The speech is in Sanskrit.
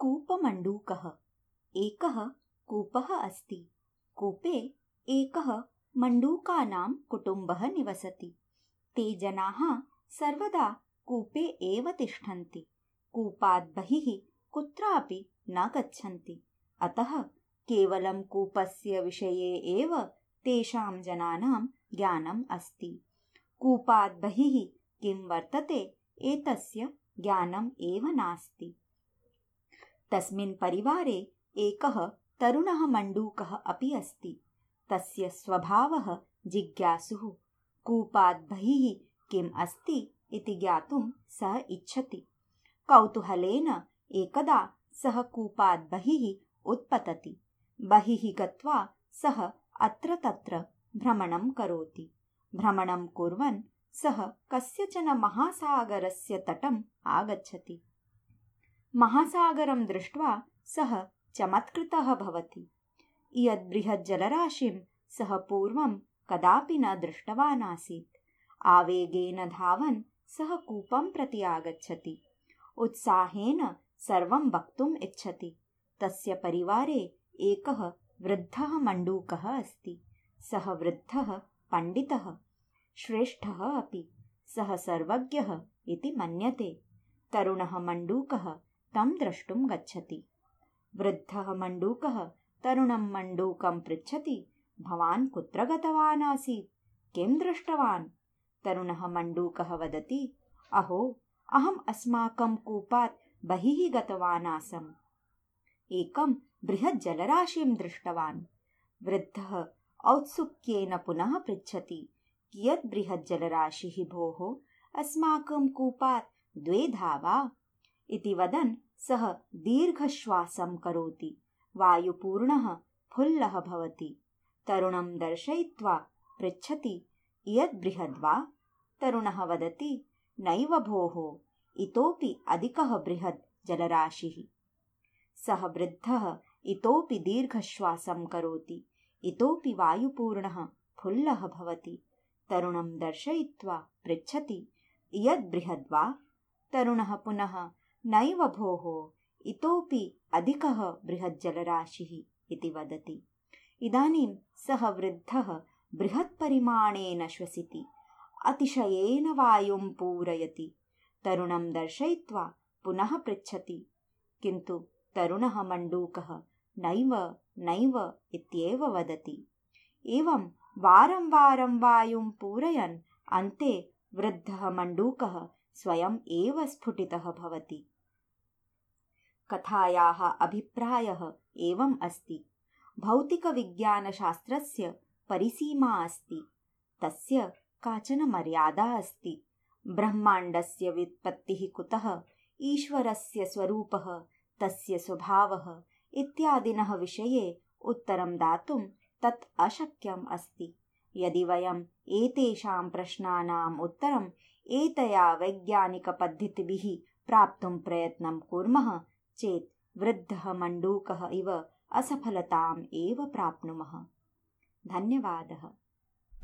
कूपमण्डूकः। एकः कूपः अस्ति। कूपे एकः मण्डूकानां कुटुम्बः निवसति। ते जनाः सर्वदा कूपे एव तिष्ठन्ति। कूपात् बहिः कुत्रापि न गच्छन्ति। अतः केवलं कूपस्य विषये एव तेषां जनानां ज्ञानम् अस्ति। कूपात् बहिः किं वर्तते एतस्य ज्ञानम् एव नास्ति। तस्मिन् परिवारे एकः तरुणः मण्डूकः अपि अस्ति। तस्य स्वभावः जिज्ञासुः। कूपात् बहिः किम् अस्ति इति ज्ञातुं सः इच्छति। कौतूहलेन एकदा सः कूपात् बहिः उत्पतति। बहिः गत्वा सः अत्र तत्र भ्रमणं करोति। भ्रमणं कुर्वन् सः कस्यचन महासागरस्य तटम् आगच्छति। महासागरं दृष्ट्वा सः चमत्कृतः भवति। इयत् बृहत् जलराशिं सः पूर्वं कदापि न दृष्टवान् आसीत्। आवेगेन धावन् सः कूपं प्रति आगच्छति। उत्साहेन सर्वं वक्तुम् इच्छति। तस्य परिवारे एकः वृद्धः मण्डूकः अस्ति। सः वृद्धः पण्डितः, श्रेष्ठः अपि। सः सर्वज्ञः इति मन्यते। तरुणः मण्डूकः तं द्रष्टुं गच्छति। वृद्धः मण्डूकः तरुणं मण्डूकं पृच्छति, भवान् कुत्र गतवान् आसीत्? किं दृष्टवान्? तरुणः मण्डूकः वदति, अहो, अहम् अस्माकं कूपात् बहिः गतवान् आसम्। एकं बृहत् जलराशिं दृष्टवान्। वृद्धः औत्सुक्येन पुनः पृच्छति, कियत् बृहत् जलराशिः भोः? अस्माकं कूपात् 2 धावा इति वदन् सः दीर्घश्वासं करोति। वायुपूर्णः फुल्लः भवति। तरुणं दर्शयित्वा पृच्छति, इयत् बृहद् वा? तरुणः वदति, नैव भोः, इतोपि अधिकः बृहत् जलराशिः। सः वृद्धः इतोपि दीर्घश्वासं करोति। इतोपि वायुपूर्णः फुल्लः भवति। तरुणं दर्शयित्वा पृच्छति, इयत् बृहद् वा? तरुणः पुनः, नैव भोः, इतोपि अधिकः बृहत् जलराशिः इति वदति। इदानीं सः वृद्धः बृहत् परिमाणेन श्वसिति। अतिशयेन वायुं पूरयति। तरुणं दर्शयित्वा पुनः पृच्छति, किन्तु तरुणः मण्डूकः नैव नैव इत्येव वदति। एवं वारं वारं वायुं पूरयन् अन्ते वृद्धः मण्डूकः स्वयम् एव स्फुटितः भवति। कथायाः अभिप्रायः एवम् अस्ति। भौतिकविज्ञानशास्त्रस्य परिसीमा अस्ति। तस्य काचन मर्यादा अस्ति। ब्रह्माण्डस्य व्युत्पत्तिः कुतः, ईश्वरस्य स्वरूपः, तस्य स्वभावः इत्यादिनः विषये उत्तरं दातुं तत् अशक्यम् अस्ति। यदि वयम् एतेषां प्रश्नानाम् उत्तरम् एतया वैज्ञानिकपद्धतिभिः प्राप्तुं प्रयत्नं कुर्मः चेत् वृद्धः मण्डूकः इव असफलताम् एव प्राप्नुमः। धन्यवादः।